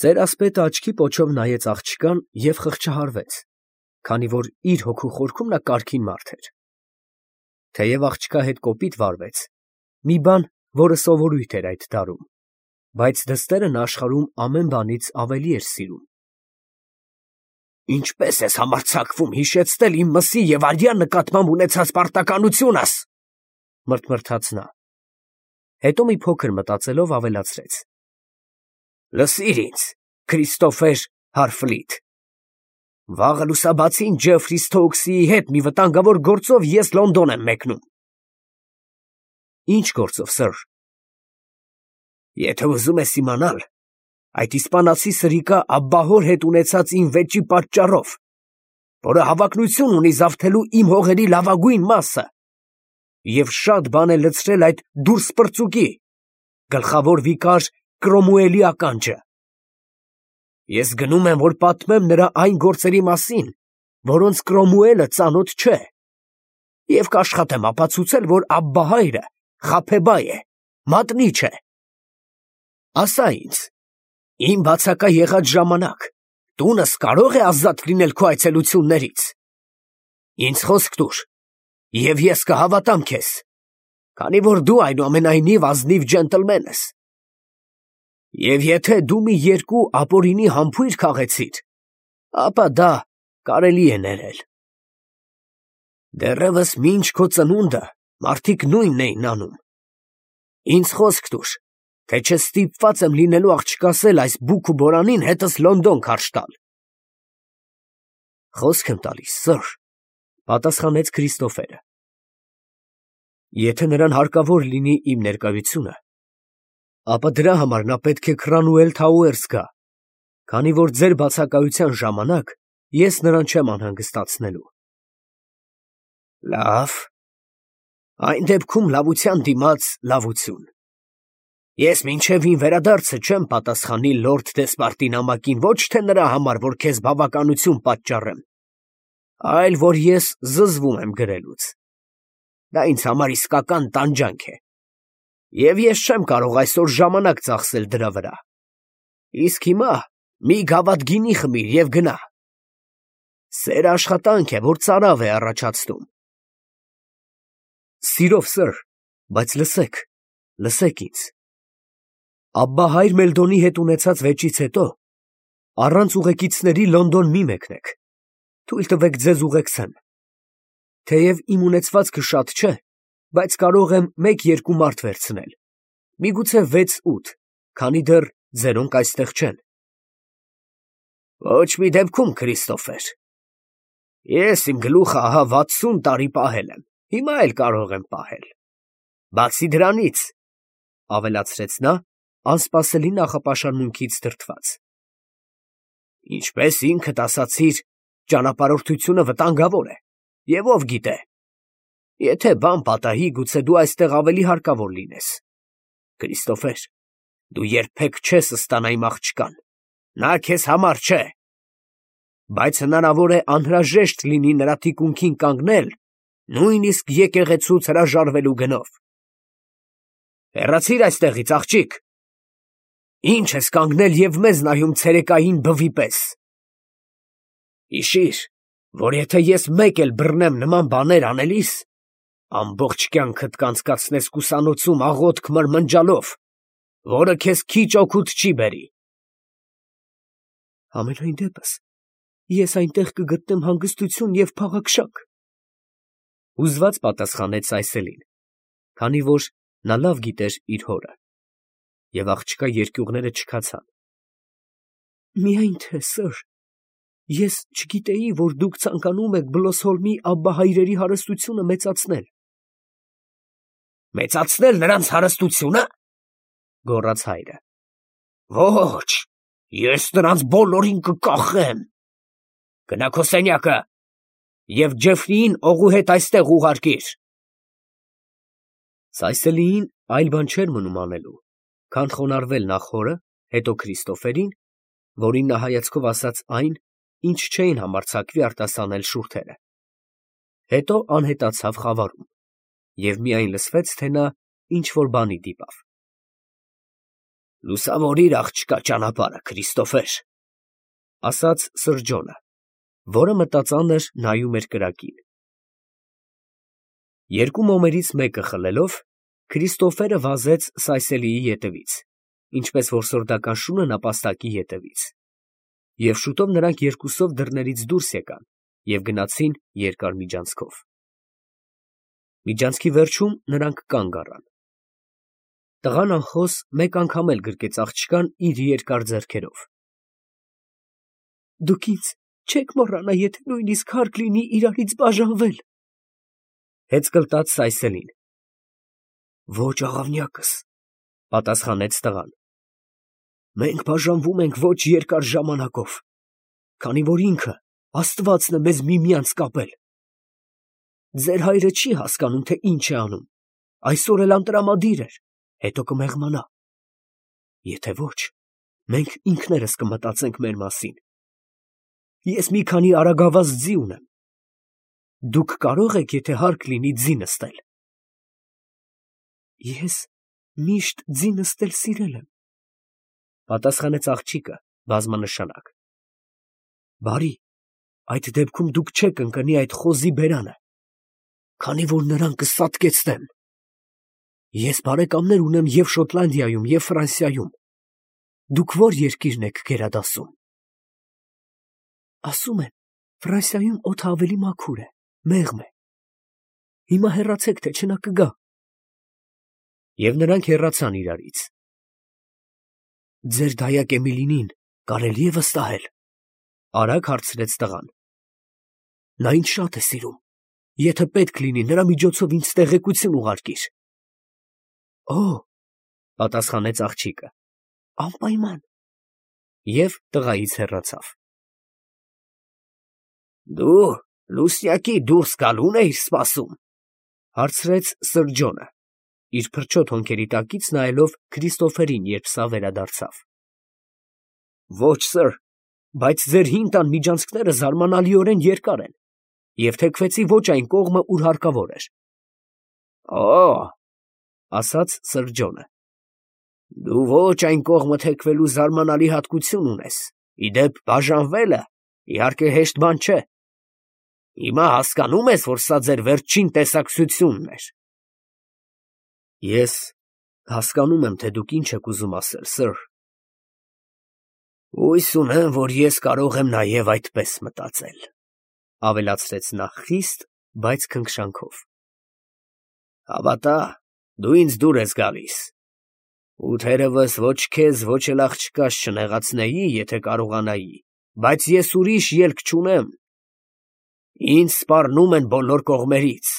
Ծերասպետը աչքի պոչով նայեց աղջկան և խղճահարվեց, քանի որ իր հոգու խորքում նա կարգին մարդ էր. թեև աղջկա հետ կոպիտ վարվեց, մի բան, որը սովորույթ էր այդ դարում, բայց դստերը նա աշխարհում ամեն բանից ավելի էր սիրում։ Ինչպե՞ս ես համարձակվում հիշեցնել իմ մսի և արյան նկատմամբ ունեցած պարտականությունս, մրթմրթաց նա, հետո մի փոքր մտածելով ավելացրեց. Լսիր ինձ, Քրիստոֆեր Հարֆլիտ, վաղը լուսաբացին Ջեֆրի Սթոուքսի հետ մի վտանգավոր գործով ես Լոնդոն եմ մեկնում։ Ինչ գործով, սըր։ Եթե ուզում ես իմանալ, այդ իսպանացի սրիկա Աբբահոր հետ ունեցած իմ վեճի պատճառով, որը հավակնություն ունի զավթելու իմ հողերի լավագույն մասը, և շատ բան է լցրել այդ դուրս պրծուկի, գլխավոր վիկար Կրոմուելի ականջը։ Ես գնում եմ, որ պատմեմ նրա այն գործերի մասին, որոնց Կրոմուելը ծանոթ չէ, և կաշխատեմ ապացուցել, որ Աբբահայրը խաբեբայ է, մատնիչ է։ Ասա ինձ, իմ բացակա եղած ժամանակ տունս կարո՞ղ է ազատ լինել քո այցելություններից։ Ինձ խոսք տուր, և ես կհավատամ քեզ, քանի որ դու այնուամենայնիվ ազնիվ ջենտլմեն ես։ Եվ եթե դու մի երկու ապօրինի համբույր քաղեցիր, ապա դա կարելի է ներել։ Դեռևս մինչ քո ծնունդը մարդիկ նույնն էին անում։ Ինձ խոսք տուր, թե չստիպված եմ լինելու աղջկասել այս բուք ու բորանին հետս Լոնդոն քարշ տալ։ Խոսք եմ տալիս, սըր, պատասխանեց Քրիստոֆերը։ Եթե նրան հարկավոր լինի իմ ներկայությունը, ապա դրա համար նա պետք է Քրանուել Թաուերս գա, քանի որ ձեր բացակայության ժամանակ ես նրան չեմ անհանգստացնելու։ Լավ, այն դեպքում լավության դիմաց լավություն։ Ես մինչև իմ վերադարձը չեմ պատասխանի լորդ դեսպարտի նամակին ոչ թե նրա համար, որ քեզ բավականություն պատճառեմ, այլ որ ես զզվում եմ գրելուց։ Դա ինձ համար իսկական տանջանք է, և ես չեմ կարող այսօր ժամանակ ծախսել դրա վրա։ Իսկ հիմա մի գավաթ գինի խմիր և գնա։ Սերը աշխատանք է, որ ծարավ է առաջացնում։ Սիրով, սըր, բայց լսեք ինձ։ Աբբահայր Մելդոնի հետ ունեցած վեճից հետո առանց ուղեկիցների Լոնդոն մի մեկնեք, թույլ տվեք ձեզ ուղեկցեմ։ Թեև իմ ունեցվածքը շատ չէ, բայց կարող եմ 1-2 մարդ վերցնել, միգուցե 6-8, քանի դեռ ձերոնք այստեղ չեն։ Ոչ մի դեպքում, Քրիստոֆեր։ Ես իմ գլուխը ահա 60 տարի պահել եմ, հիմա էլ կարող եմ պահել։ Բացի դրանից, ավելացրեց նա, անսպասելի նախապաշարմունքից դրդված, ինչպես ինքդ ասացիր, ճանապարհորդությունը վտանգավոր է, և ով գիտե, եթե բան պատահի, գուցե դու այստեղ ավելի հարկավոր լինես։ Քրիստոֆեր, դու երբեք չես ստանա իմ աղջկան, նա քեզ համար չէ, բայց հնարավոր է անհրաժեշտ լինի նրա թիկունքին կանգնել, նույնիսկ եկեղեցուց հրաժարվելու գնով։ Հեռացիր այստեղից, աղջիկ։ Ինչ ես կանգնել և մեզ նայում ցերեկային բվի պես։ Հիշիր, որ եթե ես մեկ էլ բռնեմ նման բաներ անելիս, ամբողջ կյանքդ կանցկացնես կուսանոցում աղոթք մրմնջալով, որը քեզ քիչ օգուտ չի բերի։ Համենայն դեպս, ես այնտեղ կգտնեմ հանգստություն և փաղաքշակ, հուզված պատասխանեց Սայսելին, քանի որ նա լավ գիտեր իր հորը, և աղջկա երկյուղները չքացան։ Միայն թե, սըր, ես չգիտեի, որ դուք ցանկանում եք Բլոսհոլմի Աբբահայրերի հարստությունը մեծացնել։ Մեծացնել նրանց հարստությո՞ւնը, գոռաց հայրը։ Ոչ, ես նրանց բոլորին կկախեմ։ Գնա քո սենյակը և Ջեֆրիին օղու հետ այստեղ ուղարկիր։ Սայսելիին այլ բան չէր մնում անելու, քան խոնարհվել նախ հորը, հետո Քրիստոֆերին, որին նա հայացքով ասաց այն, ինչ չէին համարձակվի արտասանել շուրթերը, հետո անհետացավ խավարում, և միայն լսվեց, թե նա ինչ֊որ բանի դիպավ։ Լուսավորիր աղջկա ճանապարհը, Քրիստոֆեր, ասաց Սրջոնը, որը մտածանր նայում էր կրակին։ Երկու մոմերից մեկը խլելով, Քրիստոֆերը վազեց Սայսելիի ետևից, ինչպես որ սորդական շունը նապաստակի ետևից, և շուտով նրանք երկուսով դռներից դուրս եկան և գնացին երկար միջանցքով։ Միջանցքի վերջում նրանք կանգ առան։ Տղան անխոս մեկ անգամ էլ գրկեց աղջկան իր երկար ձեռքերով։ Դուք ինձ չեք մոռանա, եթե նույնիսկ հարկ լինի իրարից բաժանվել, հեծկլտաց Սայսելին։ Ոչ, աղավնյակս, պատասխանեց տղան։ Մենք բաժանվում ենք ոչ երկար ժամանակով, քանի որ ինքը Աստվածն է մեզ միմյանց կապել։ Ձեր հայրը չի հասկանում, թե ինչ է անում, այսօր էլ անտրամադիր էր, հետո կմեղմանա։ Եթե ոչ, մենք ինքներս կմտածենք մեր մասին։ Ես մի քանի արագավազ ձի ունեմ։ Դուք կարող եք, եթե հարկ լինի, ձի նստել։ Ես միշտ ձի նստել սիրել եմ, պատասխանեց աղջիկը բազմանշանակ։ Բարի, այդ դեպքում դուք չեք ընկնի այդ խոզի բերանը, քանի որ նրան կսատկեցնեմ։ Ես բարեկամներ ունեմ և Շոտլանդիայում, և Ֆրանսիայում։ Դուք ո՞ր երկիրն եք գերադասում։ Ասում են, Ֆրանսիայում օդը ավելի մաքուր է, մեղմ է։ Հիմա հեռացեք, թե չէ նա կգա։ Եվ նրանք հեռացան իրարից։ Ձեր դայակ Էմիլինին կարելի է վստահել, արագ հարցրեց տղան։ Նա ինձ շատ է սիրում։ Եթե պետք լինի, նրա միջոցով ինձ տեղեկություն ուղարկիր։ Օ, պատասխանեց աղջիկը, անպայման։ Եվ տղայից հեռացավ։ Դու Լուսյակի դուրս գալուն էիր սպասում, հարցրեց Սրջոնը, իր փրչոտ հոնքերի տակից նայելով Քրիստոֆերին, երբ սա վերադարձավ։ Ոչ, սըր, բայց ձեր հին տան միջանցքները զարմանալիորեն երկար են, և թեքվեցի ոչ այն կողմը, ուր հարկավոր էր։ Օ, ասաց Սրջոնը, դու ոչ այն կողմը թեքվելու զարմանալի հատկություն ունես, ի դեպ բաժանվելը, իհարկե, հեշտ բան չէ։ Հիմա հասկանում ես, որ սա ձեր վերջին տեսակցությունն էր։ Ես հասկանում եմ, թե դուք ինչ եք ուզում ասել, սըր։ Հույս ունեմ, որ ես կարող եմ նաև այդպես մտածել, ավելացրեց նա խիստ, բայց քնքշանքով։ Հավատա, դու ինձ դուր ես գալիս, ու թերևս ոչ քեզ, ոչ էլ աղջկաս չնեղացնեի, եթե կարողանայի, բայց ես ուրիշ ելք չունեմ։ Ինձ սպառնում են բոլոր կողմերից,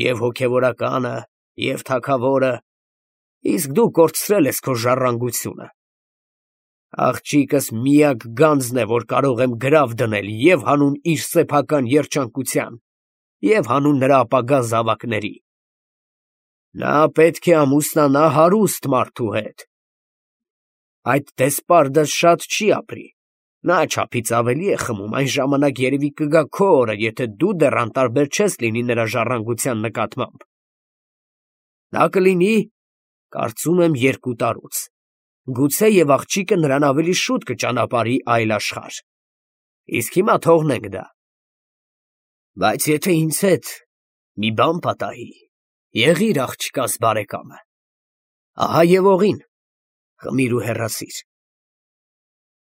և հոգևորականը, և թագավորը, իսկ դու կորցրել ես քո ժառանգությունը։ Աղջիկս միակ գանձն է, որ կարող եմ գրավ դնել և հանուն իր սեփական երջանկության, և հանուն նրա ապագա զավակների։ Նա պետք է ամուսնանա հարուստ մարդու հետ։ Այդ դեսպարդը շատ չի ապրի, նա չափից ավելի է խմում, այն ժամանակ երևի կգա քո օրը, եթե դու դեռ անտարբեր չես լինի նրա ժառանգության նկատմամբ։ Դա կլինի, կարծում եմ, 2 տարուց, գուցե և աղջիկը նրան ավելի շուտ կճանապարհի այլ աշխարհ, իսկ հիմա թողնենք դա։ Բայց եթե ինձ հետ մի բան պատահի, եղիր աղջկաս բարեկամը, ահա և օղին, խմիր ու հեռացիր։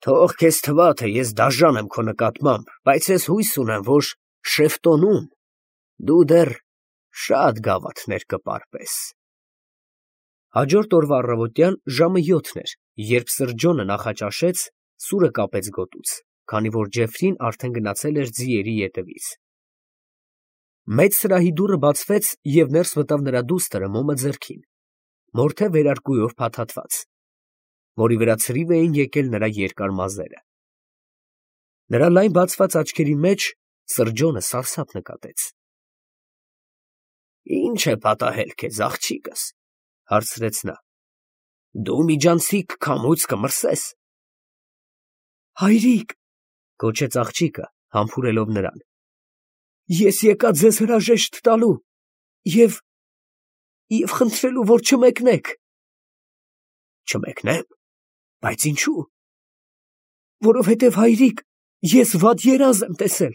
Թող քեզ թվա, թե ես դաժան եմ քո նկատմամբ, բայց ես հույս ունեմ, որ Շեֆտոնում դու դեռ շատ գավաթներ կպարպես։ Հաջորդ օրվա առավոտյան ժամը 7 էր, երբ Սրջոնը նախաճաշեց, սուրը կապեց գոտուց, քանի որ Ջեֆրին արդեն գնացել էր ձիերի ետևից։ Մեծ սրահի դուռը բացվեց, և ներս մտավ նրա դուստրը մոմը ձեռքին, մորթե վերարկուով փաթաթված, որի վրա ցրիվ էին եկել նրա երկար մազերը։ Նրա լայն բացված աչքերի մեջ Սրջոնը սարսափ նկատեց։ Ինչ է պատահել քեզ, աղջիկս, հարցրեց նա։ Դու միջանցիկ քամուց կմրսես։ Հայրիկ, գոչեց աղջիկը, համբուրելով նրան, ես եկա ձեզ հրաժեշտ տալու և խնդրելու, որ չմեկնեք։ Չմեկնեմ, բայց ինչու։ Որովհետև հայրիկ, ես վատ երազ եմ տեսել։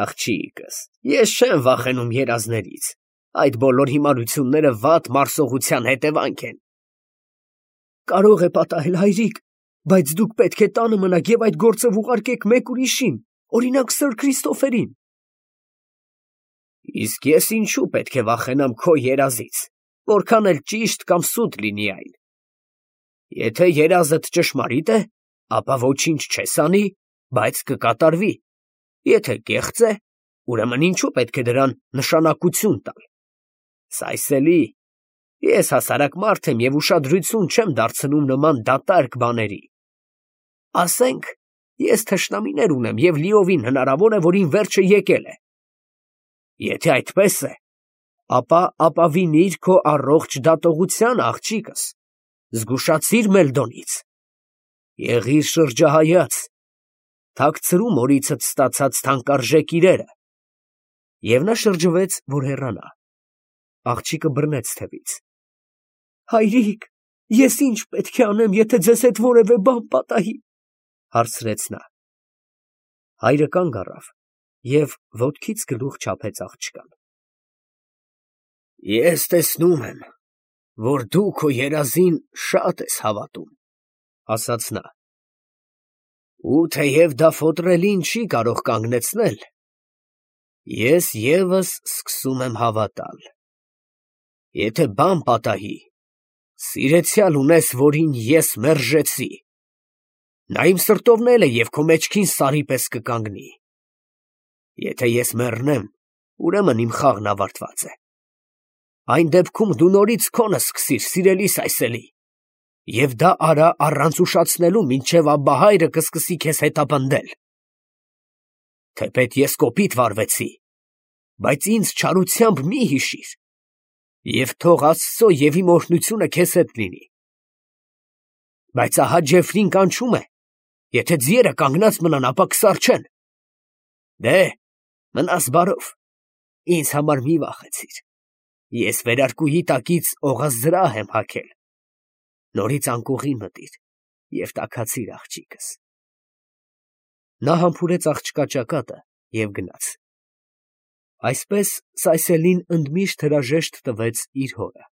Աղջիկս, ես չեմ վախենում երազներից, այդ բոլոր հիմարությունները վատ մարսողության հետևանք են։ Կարող է պատահել, հայրիկ, բայց դուք պետք է տանը մնաք և այդ գործը ուղարկեք մեկ ուրիշին, օրինակ Սըր Քրիստոֆերին։ Իսկ ես ինչու պետք է վախենամ քո երազից, որքան էլ ճիշտ կամ սուտ լինի այն։ Եթե երազդ ճշմարիտ է, ապա ոչինչ չես անի, բայց կկատարվի։ Եթե կեղծ է, ուրեմն ինչու պետք է դրան նշանակություն տալ։ Սայսելի, ես հասարակ մարդ եմ և ուշադրություն չեմ դարձնում նման դատարկ բաների։ Ասենք, ես թշնամիներ ունեմ և լիովին հնարավոր է, որ իմ վերջը եկել է։ Եթե այդպես է, ապա ապավինիր քո առողջ դատողության, աղջիկս, զգուշացիր Մելդոնից։ Եղիր շրջահայաց, թաքցրու մորիցդ ստացած թանկարժեք իրերը։ Եվ նա շրջվեց, որ հեռանա։ Աղջիկը բռնեց թևից։ Հայրիկ, ես ինչ պետք է անեմ, եթե ձեզ հետ որևէ բան պատահի, հարցրեց նա։ Հայրը կանգ առավ և ոտքից գլուխ չափեց աղջկան։ Ես տեսնում եմ, որ դու քո երազին շատ ես հավատում, ասաց նա։ Ու թեև դա ֆոտրելին չի կարող կանգնեցնել, ես ևս սկսում եմ հավատալ։ Եթե բան պատահի, սիրեցյալ ունես, որին ես մերժեցի։ Նա իմ սրտովն է և քո մեջքին սարի պես կկանգնի։ Եթե ես մեռնեմ, ուրեմն իմ խաղն ավարտված է։ Այն դեպքում դու նորից քոնը սկսիր, սիրելի Սայսելի, և դա արա առանց ուշացնելու, մինչև Աբբահայրը կսկսի քեզ հետապնդել։ Թեպետ ես կոպիտ վարվեցի, բայց ինձ չարությամբ մի հիշիր, և թող Աստծո և իմ օրհնությունը քեզ հետ լինի։ Բայց ահա Ջեֆրին կանչում է, եթե ձիերը կանգնած մնան, ապա կսառչեն։ Դե, մնաս բարով, ինձ համար մի վախեցիր, ես վերարկուի տակից օղազրահ եմ հագել, նորից անկողին մտիր և տաքացիր, աղջիկս։ Նա համբուրեց աղջկա ճակատը և գնաց։ Այսպես Սայսելին ընդմիշտ հրաժեշտ տվեց իր հորը։